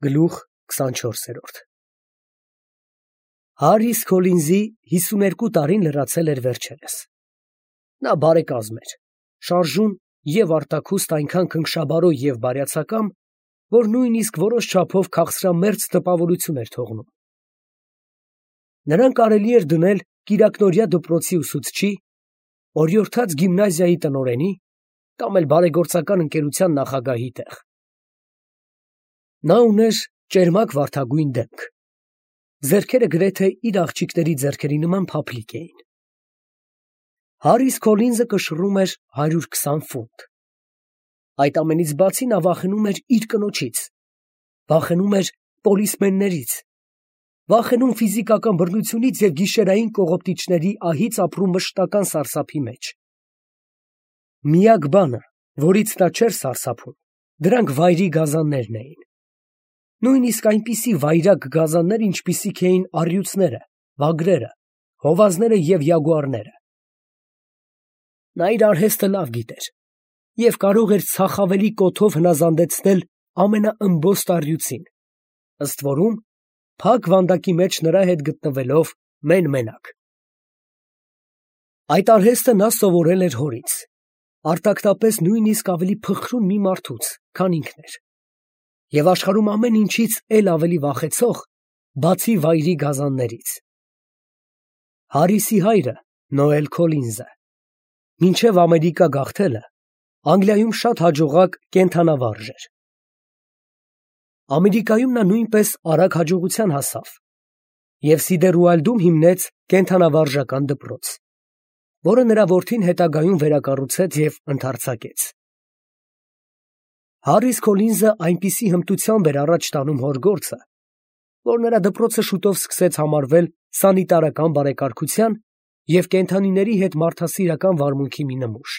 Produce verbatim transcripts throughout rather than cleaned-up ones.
Գլուխ քսանչորսերորդ Հարիս Քոլինզի հիսուներկու տարին լրացել էր վերջերս։ Նա բարեկազմ էր, շարժուն և արտաքուստ այնքան քնքշաբարո և բարյացակամ, որ նույնիսկ որոշ չափով քաղցրամերձ տպավորություն էր թողնում։ Նրան կարելի էր դնել կիրակնօրյա դպրոցի ուսուցչի, օրիորդաց գիմնազիայի տնօրենի կամ էլ բարեգործական ընկերության նախագահի տեղ։ Նա ուներ ճերմակ վարդագույն դեմք, ձեռքերը գրեթե իր աղջիկների ձեռքերի նման փափլիկ էին։ Հարիս Քոլինզը կշռում էր հարյուր քսան ֆունտ։ Այդ ամենից բացի նա վախենում էր իր կնոջից, վախենում էր պոլիսմեններից, վախենում ֆիզիկական բռնությունից և գիշերային կողոպտիչների ահից ապրու մշտական սարսափի մեջ։ Միակ բանը, որից նա չէր սարսափում, դրանք վայրի գազաններն էին։ Նույնիսկ այնպիսի վայրագ գազաններ, ինչպիսիք էին առյուծները, վագրերը, հովազները և յագուարները։ Նա իր արհեստը լավ գիտեր և կարող էր ցախավելի կոթով հնազանդեցնել ամենաըմբոստ առյուծին, ըստ որում, փակ վանդակի մեջ նրա հետ գտնվելով մեն֊մենակ։ Այդ արհեստը նա սովորել էր հորից, արտակնապես նույնիսկ ավելի փխրուն մի մարդուց, քան ինքն էր, և աշխարհում ամեն ինչից էլ ավելի վախեցող, բացի վայրի գազաններից։ Հարիսի հայրը, Նոել Քոլինզը, մինչև Ամերիկա գաղթելը, Անգլիայում շատ հաջողակ կենդանավարժ էր։ Ամերիկայում նա նույնպես արագ հաջողության հասավ և Սիդերուալդում հիմնեց կենդանավարժական դպրոց, որը նրա որդին հետագայում վերակառուցեց և ընդարձակեց։ Հարիս Քոլինզը այնպիսի հմտությամբ էր առաջ տանում հոր գործը, որ նրա դպրոցը շուտով սկսեց համարվել սանիտարական բարեկարգության և կենդանիների հետ մարդասիրական վարմունքի մի նմուշ։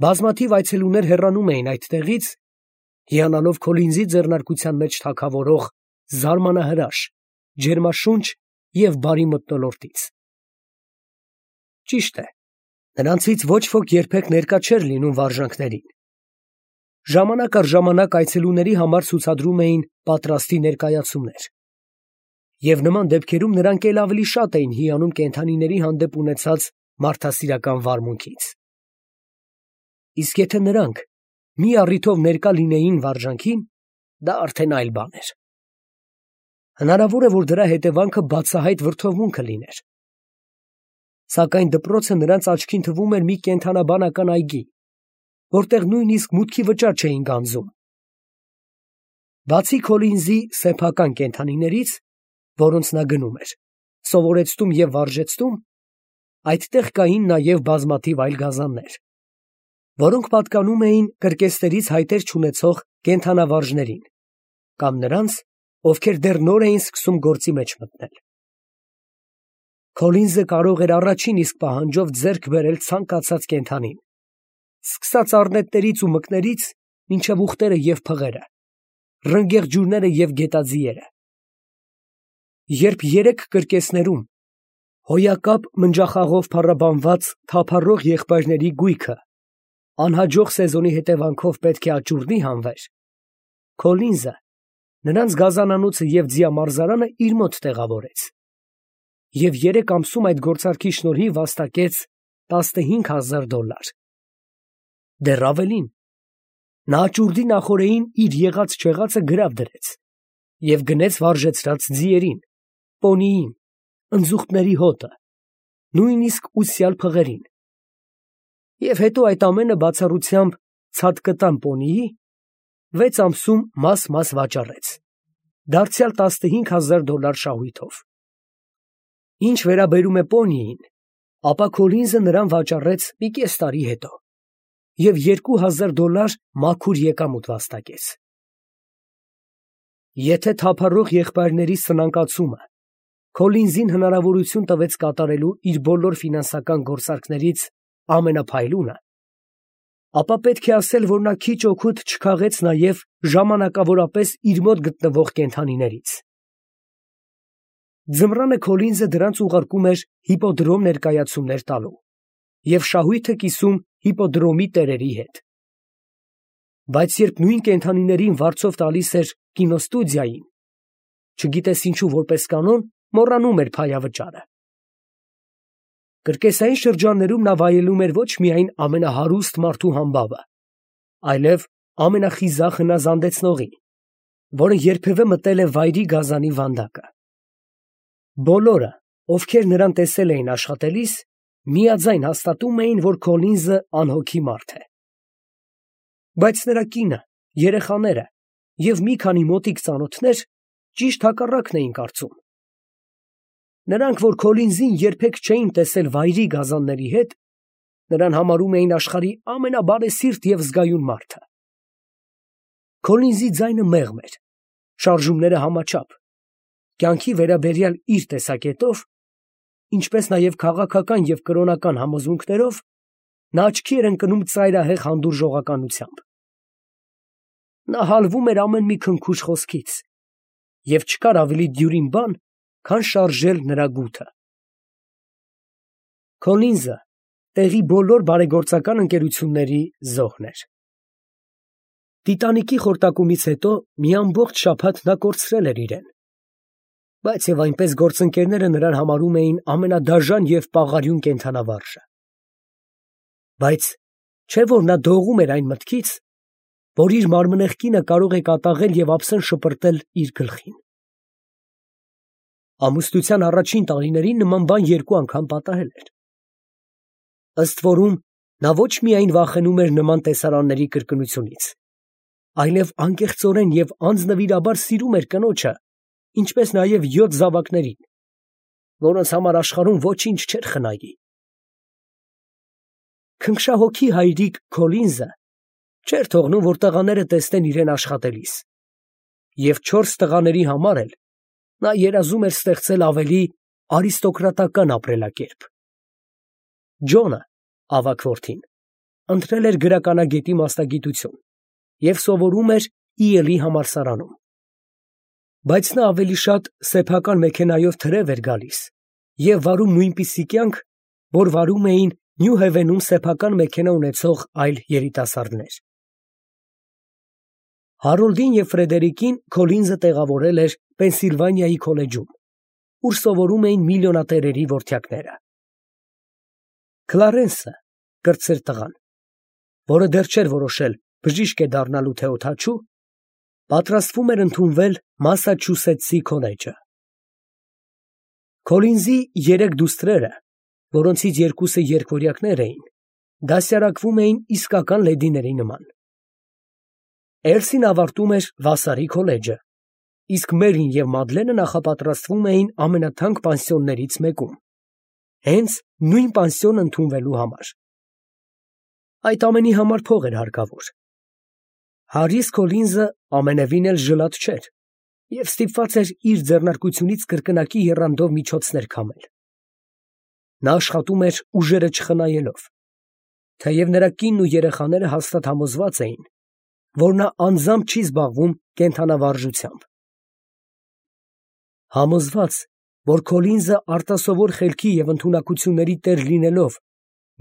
Բազմաթիվ այցելուներ հեռանում էին այդտեղից, հիանալով Քոլինզի ձեռնարկության մեջ թագավորող զարմանահրաշ, ջերմաշունչ և բարի մթնոլորտից։ Ճիշտ է, նրանցից ոչ ոք երբեք ներկա չէր լինում վարժանքներին։ Ժամանակ առ ժամանակ այցելուների համար ցուցադրում էին պատրաստի ներկայացումներ, և նման դեպքերում նրանք էլ ավելի շատ էին հիանում կենդանիների հանդեպ ունեցած մարդասիրական վարմունքից։ Իսկ եթե նրանք մի առիթով ներկա լինեին վարժանքին, դա արդեն այլ բան էր։ Հնարավոր է, որ դրա հետևանքը բացահայտ վրդովմունք լիներ։ Սակայն դպրոցը նրանց աչքին թվում էր մի կենդանաբանական այգի, որտեղ նույնիսկ մուտքի վճար չէին գանձում։ Բացի Քոլինզի սեփական կենդանիներից, որոնց նա գնում էր, սովորեցնում և վարժեցնում, այդտեղ կային նաև բազմաթիվ այլ գազաններ, որոնք պատկանում էին կրկեսներից հայտեր չունեցող կենդանավարժներին կամ նրանց, ովքեր դեռ նոր էին սկսում գործի մեջ մտնել։ Քոլինզը կարող էր առաջին իսկ պահանջով ձեռք բերել ցանկացած կենդանին, սկսած առնետներից ու մկներից մինչև ուղտերը և փղերը, ռնգեղ ջուրները և գետաձիերը։ Երբ երեք կրկեսներում հոյակապ մնջախաղով փառաբանված թափառող եղբայրների գույքը անհաջող սեզոնի հետևանքով պետք է աճուրդի հանվեր, Քոլինզը նրանց գազանանոցը և ձիամարզարանը իր մոտ տեղավորեց և երեք ամսում այդ գործարքի շնորհիվ վաստակեց տասնհինգ հազար դոլար։ Դեռ ավելին, նա աճուրդի նախօրեին իր եղած֊չեղածը գրավ դրեց և գնեց վարժեցրած ձիերին, պոնիին, ընձուղտների հոտը, նույնիսկ ուսյալ փղերին, և հետո այդ ամենը բացառությամբ ցատկտան պոնիի վեց ամսում մաս֊մաս վաճառեց, դարձյալ տասնհինգ հազար դոլար շահույթով։ Ինչ վերաբերում է պոնիին, ապա Քոլինզը նրան վաճառեց մի կես տարի հետո և երկու հազար դոլար մաքուր եկամուտ վաստակեց։ Եթե թափառող եղբայրների սնանկացումը Քոլինզին հնարավորություն տվեց կատարելու իր բոլոր ֆինանսական գործարքներից ամենափայլունը, ապա պետք է ասել, որ նա քիչ օգուտ չքաղեց նաև ժամանակավորապես իր մոտ գտնվող կենդանիներից։ Ձմռանը Քոլինզը դրանց ուղարկում էր հիպոդրոմ ներկայացումներ տալու և շահույթը կիսում հիպոդրոմի տերերի հետ։ Բայց երբ նույն կենդանիներին վարձով տալիս էր կինոստուդիային, չգիտես ինչու որպես կանոն, մոռանում էր փայավճարը։ Կրկեսային շրջաններում նա վայելում էր ոչ միայն ամենահարուստ մարդու համբավը, այլև ամենախիզախ հնազանդեցնողին, որը երբևէ մտել է վայրի գազանի վանդակը։ Բոլորը, ովքեր նրան տեսել էին աշխատելիս, միաձայն հաստատում էին, որ Քոլինզը անհոգի մարդ է։ Բայց նրա կինը, երեխաները և մի քանի մոտիկ ծանոթներ ճիշտ հակառակն էին կարծում։ Նրանք, որ Քոլինզին երբեք չէին տեսել վայրի գազանների հետ, նրան համարում էին աշխարհի ամենաբարեսիրտ և զգայուն մարդը։ Քոլինզի ձայնը մեղմ էր, շարժումները համաչափ, կյանքի վերաբերյալ իր տեսակետով, ինչպես նաև քաղաքական և կրոնական համոզմունքներով, նա աչքի էր ընկնում ծայրահեղ հանդուրժողականությամբ։ Նա հալվում էր ամեն մի քնքուշ խոսքից, և չկար ավելի դյուրին բան, քան շարժել նրա գութը։ Քոլինզը տեղի բոլոր բարեգործական ընկերությունների զոհն էր։ Տիտանիկի խորտակումից հետո մի ամբողջ շաբաթ նա կորցրել էր իրեն, բայց և այնպես գործընկերները նրան համարում էին ամենադաժան և պաղարյուն կենդանավարժը։ Բայց չէ՞ որ նա դողում էր այն մտքից, որ իր մարմնեղ կինը կարող է կատաղել և ափսեն շպրտել իր գլխին։ Ամուսնության առաջին տարիներին նման բան երկու անգամ պատահել էր։ Ըստ որում, նա ոչ միայն վախենում էր նման տեսարանների կրկնությունից, այլև անկեղծորեն և անձնվիրաբար սիրում էր կնոջը, ինչպես նաև յոթ զավակներին, որոնց համար աշխարհում ոչինչ չէր խնայի։ Քնքշահոգի հայրիկ Քոլինզը չէր թողնում, որ տղաները տեսնեն իրեն աշխատելիս, և չորս տղաների համար էլ նա երազում էր ստեղծել ավելի արիստոկրատական ապրելակերպ։ Ջոնը, ավագ որդին, ընտրել էր գրականագետի մասնագիտություն և սովորում էր Իելի համալսարանում։ Բայց նա ավելի շատ սեփական մեքենայով թրև էր գալիս և վարում նույնպիսի կյանք, որ վարում էին Նյու Հեվենում սեփական մեքենա ունեցող այլ երիտասարդներ։ Հարոլդին և Ֆրեդերիկին Քոլինզը տեղավորել էր Պենսիլվանիայի քոլեջում, ուր սովորում էին միլիոնատերերի որդյակները։ Քլարենսը, կրտսեր տղան, որը դեռ չէր որոշել բժիշկ է դառնալու թե օդաչու, պատրաստվում էր ընդունվել Մասաչուսեթսի քոլեջը։ Քոլինզի երեք դուստրերը, որոնցից երկուսը երգորյակներ էին, դասյարակվում էին իսկական լեդիների նման։ Էլսին ավարտում էր Վասարի քոլեջը, իսկ Մերին և Մադլենը նախապատրաստվում էին ամենաթանկ պանսիոններից մեկում, հենց նույն պանսիոն ընդունվելու համար։ Այդ ամենի համար փող էր հարկավոր։ Հարիս Քոլինզը ամենևին էլ ժլատ չէր և ստիպված էր իր ձեռնարկությունից կրկնակի եռանդով միջոցներ քամել։ Նա աշխատում էր ուժերը չխնայելով, թեև նրա կինն ու երեխաները հաստատ համոզված էին, որ նա անձամբ չի զբաղվում կենդանավարժությամբ։ Համոզված, որ Քոլինզը արտասովոր խելքի և ընդունակությունների տեր լինելով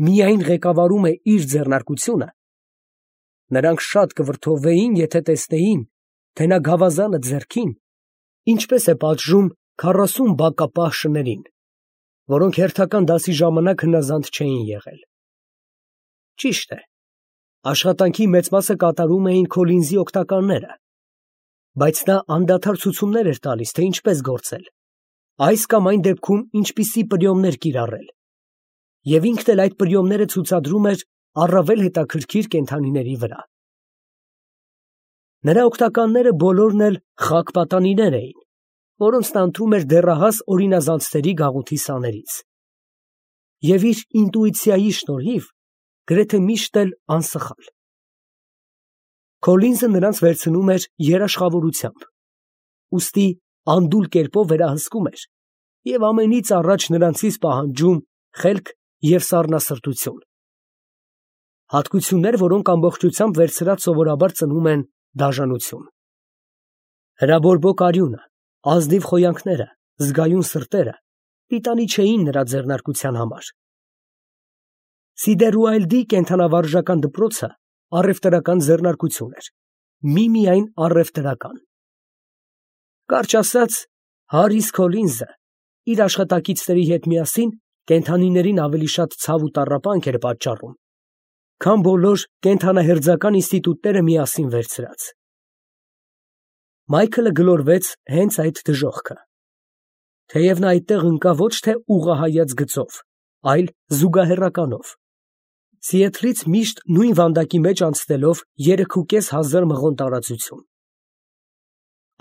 միայն ղեկավարում է իր ձեռնարկությունը, նրանք շատ կվրդովվեին, եթե տեսնեին, թե նա գավազանը ձեռքին ինչպես է պատժում քառասուն բակապահ շներին, որոնք հերթական դասի ժամանակ հնազանդ չէին եղել։ Ճիշտ է, աշխատանքի մեծ մասը կատարում էին Քոլինզի օգնականները, բայց նա անդադար ցուցումներ էր տալիս, թե ինչպես գործել, այս կամ այն դեպքում ինչպիսի պրիոմներ կիրառել, և ինքն էլ այդ պրիոմները ցուցադրում էր առավել հետաքրքիր կենդանիների վրա։ Նրա օգնականները բոլորն էլ խակ պատանիներ էին, որոնց նա ընտրում էր դեռահաս օրինազանցների գաղութի սաներից, և իր ինտուիցիայի շնորհիվ գրեթե միշտ էլ անսխալ։ Քոլինզը նրանց վերցնում էր երաշխավորությամբ, ուստի անդուլ կերպով վերահսկում էր և ամենից առաջ նրանցից պահանջում խելք և սառնասրտություն, հատկություններ, որոնք ամբողջությամբ վերցրած սովորաբար ծնում են դաժանություն։ Հրաբորբոք արյունը, ազնիվ խոյանքները, զգայուն սրտերը պիտանի չէին նրա ձեռնարկության համար։ Սիդերուայլդի կենդանավարժական դպրոցը առևտրական ձեռնարկություն էր, միմիայն առևտրական, Կարճ ասած, Հարիս Քոլինզը իր աշխատակիցների հետ միասին կենդանիներին ավելի շատ ցավ ու տառապանք էր պատճառում, քան բոլոր կենդանահերձական ինստիտուտները միասին վերցրած։ Մայքլը գլորվեց հենց այդ դժոխքը, թեև նա այդտեղ ընկավ ոչ թե ուղղահայաց գծով, այլ զուգահեռականով, Սիեթլից միշտ նույն վանդակի մեջ անցնելով երեքուկես հազար մղոն տարածություն։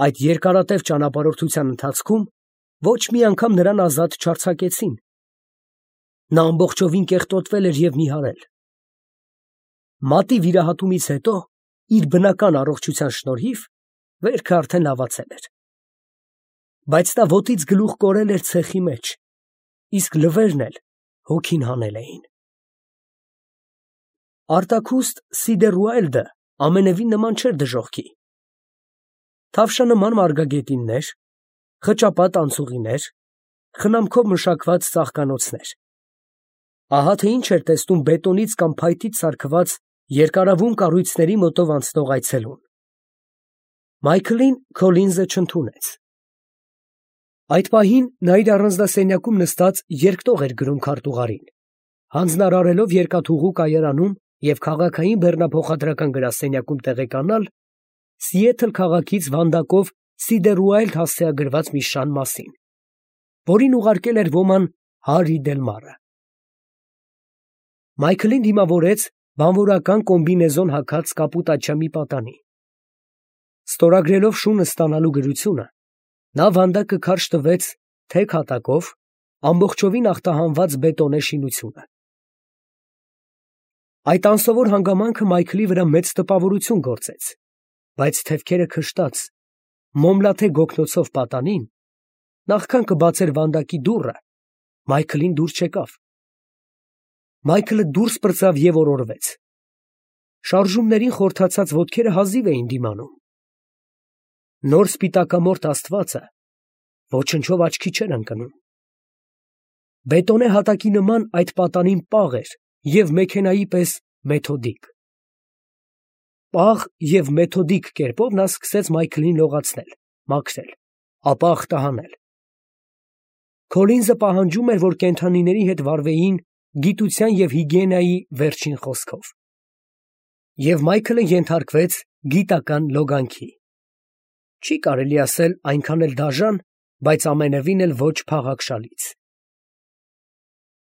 Այդ երկարատև ճանապարհորդության ընթացքում ոչ մի անգամ նրան ազատ չարձակեցին։ Նա ամբողջովին կեղտոտվել էր և նիհարել։ Մատի վիրահատումից հետո իր բնական առողջության շնորհիվ վերքը արդեն լավացել էր։ Բայց նա ոտից գլուխ կորել էր ցեխի մեջ, իսկ լվերն էլ հոգին հանել էին։ Արտաքուստ Սիդերուայլդը ամենևին նման չէր դժոխքի։ Թավշանման մարգագետիններ, խճապատ անցուղիներ, խնամքով մշակված ծաղկանոցներ։ Ահա թե ինչ էր տեսնում բետոնից կամ փայտից սարքված երկարավուն կառույցների մոտով անցնող այցելուն։ Մայքլին Քոլինզը չընդունեց։ Այդ պահին նա իր առանձնասենյակում նստած երկտող էր գրում քարտուղարին, հանձնարարելով երկաթուղու կայարանում և քաղաքային բեռնափոխադրական գրասենյակում տեղեկանալ Սիեթլ քաղաքից վանդակով Սիդերուայլդ հասցեագրված մի շան մասին, որին ուղարկել էր ոման Հարի Դելմարը։ Մայքլին դիմավորեց բանվորական կոմբինեզոն հագած կապուտաչյա մի պատանի։ Ստորագրելով շունը ստանալու գրությունը, նա վանդակը քարշ տվեց թեք հատակով ամբողջովին ախտահանված բետոնե շինությունը։ Այդ անսովոր հանգամանքը Մայքլի վրա մեծ տպավորություն գործեց, բայց թևքերը քշտած, մոմլաթե գոգնոցով պատանին, նախքան կբացեր վանդակի դուռը, Մայքլին դուր չեկավ։ Մայքլը դուրս պրծավ և օրորվեց։ Շարժումներին խորթացած ոտքերը հազիվ էին դիմանում։ Նոր սպիտակամորթ աստվածը ոչնչով աչքի չէր ընկնում։ Բետոնե հատակի նման այդ պատանին պաղ էր և մեքենայի պես մեթոդիկ։ Պաղ և մեթոդիկ կերպով նա սկսեց Մայքլին լողացնել, մաքրել, ապա ախտահանել։ Քոլինզը պահանջում էր, որ կենդանիների հետ վարվեին գիտության և հիգիենայի վերջին խոսքով։ Եվ Մայքլը ենթարկվեց գիտական լոգանքի։ Չի կարելի ասել այնքան էլ դաժան, բայց ամենևին էլ ոչ փաղաքշալից։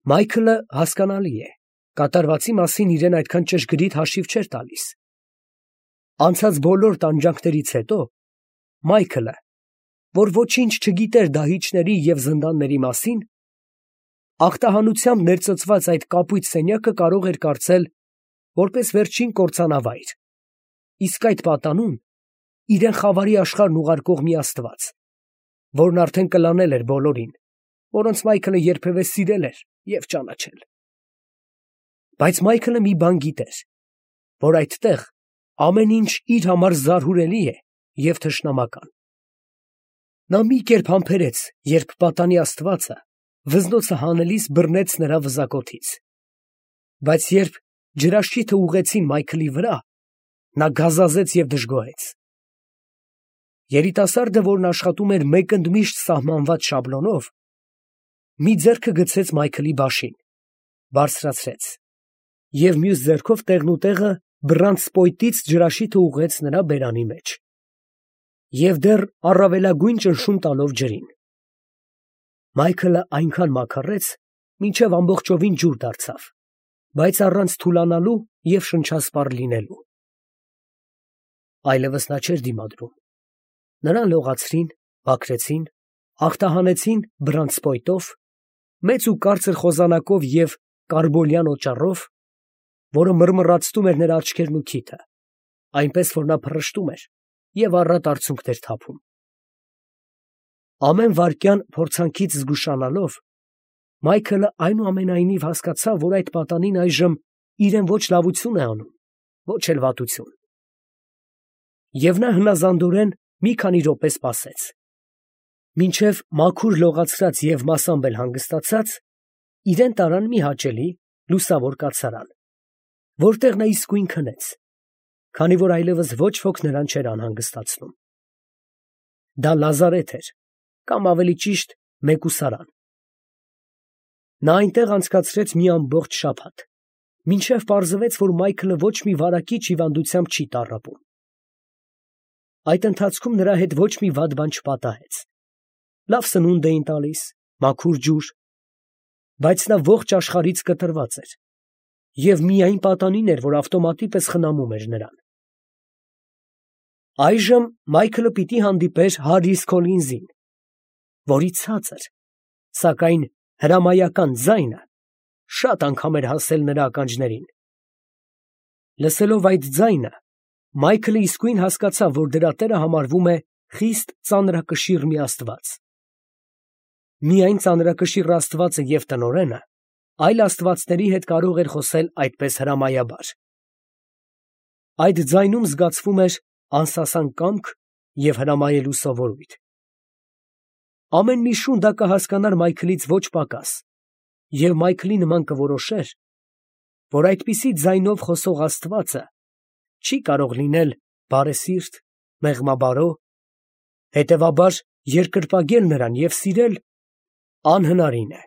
Մայքլը, հասկանալի է, կատարվածի մասին իրեն այդքան ճշգրիտ հաշիվ չէր տալիս։ Անցած բոլոր տանջանքներից հետո Մայքլը, որ ոչինչ չգիտեր դահիճների և զնդանների մասին, ախտահանությամբ ներծծված այդ կապույտ սենյակը կարող էր կարծել որպես վերջին կործանավայր, իսկ այդ պատանուն իրեն խավարի աշխարհն ուղարկող մի աստված, որն արդեն կլանել էր բոլորին, որոնց Մայքլը երբևէ սիրել էր և ճանաչել։ Բայց Մայքլը մի բան գիտեր, որ այդտեղ ամեն ինչ իր համար զարհուրելի է և թշնամական։ Նա մի կերպ համբերեց, երբ պատանի աստվածը վզնոցը հանելիս բռնեց նրա վզակոթից։ Բայց երբ ջրաշիթը ուղղեցին Մայքլի վրա, նա գազազեց և դժգոհեց։ Երիտասարդը, որն աշխատում էր մեկ ընդմիշտ սահմանված շաբլոնով, մի ձեռքը գցեց Մայքլի բաշին, բարձրացրեց և մյուս ձեռքով տեղնուտեղը բռանցքպոյտից ջրաշիթը ուղղեց նրա բերանի մեջ և դեռ առավելագույն ճնշում տալով ջրին։ Մայքլը այնքան մաքրեց, մինչև ամբողջովին ջուր դարձավ, բայց առանց թուլանալու և շնչասպառ լինելու։ Այլևս նա չէր դիմադրում։ Նրան լողացրին, մաքրեցին, ախտահանեցին բռանցքպոյտով, մեծ ու կարծր խոզանակով և կարբոլյան օճառով, որը մռմռացնում էր նրա աչքերն ու քիթը, այնպես որ նա փռշտում էր և առատ արցունքներ թափում։ Ամեն վայրկյան փորձանքից զգուշանալով, Մայքլը այնուամենայնիվ հասկացավ, որ այդ պատանին այժմ իրեն ոչ լավություն է անում, ոչ էլ վատություն։ Եվ նա հնազանդորեն մի քանի րոպե սպասեց, մինչև մաքուր լողացրած և մասամբ էլ հանգստացած, իրեն տարան մի հաճելի, լուսավոր կացարան, որտեղ նա իսկույն քնեց, քանի որ այլևս ոչ ոք նրան չէր անհանգստացնում։ Դա լազարեթ էր, կամ ավելի ճիշտ մեկուսարան։ Նա այնտեղ անցկացրեց մի ամբողջ շաբաթ, մինչև պարզվեց, որ Մայքլը ոչ մի վարակիչ հիվանդությամբ չի տառապում։ Այդ ընթացքում նրա հետ ոչ մի վատ բան չպատահեց. լավ սնունդ էին տալիս, մաքուր ջուր, բայց նա ողջ աշխարհից կտրված էր, և միայն պատանին էր, որ ավտոմատի պես խնամում էր նրան։ Այժմ Մայքլը պիտի հանդիպեր Հարրիս Քոլինզին, որի ցածր, սակայն հրամայական ձայնը շատ անգամ էր հասել նրա ականջներին։ Լսելով այդ ձայնը, Մայքլը իսկույն հասկացավ, որ դրա տերը համարվում է խիստ ծանրակշիռ մի աստված։ Միայն ծանրակշիռ աստվածը և տնօրենը այլ աստվածների հետ կարող էր խոսել այդպես հրամայաբար։ Այդ ձայնում զգացվում էր անսասան կամք և հրամայելու սովորույթ։ Ամեն մի շուն դա կհասկանար Մայքլից ոչ պակաս, և Մայքլի նման կորոշեր, որ այդպիսի ձայնով խոսող աստվածը չի կարող լինել բարեսիրտ, մեղմաբարո, հետևաբար երկրպագել նրան և սիրել անհնարին է։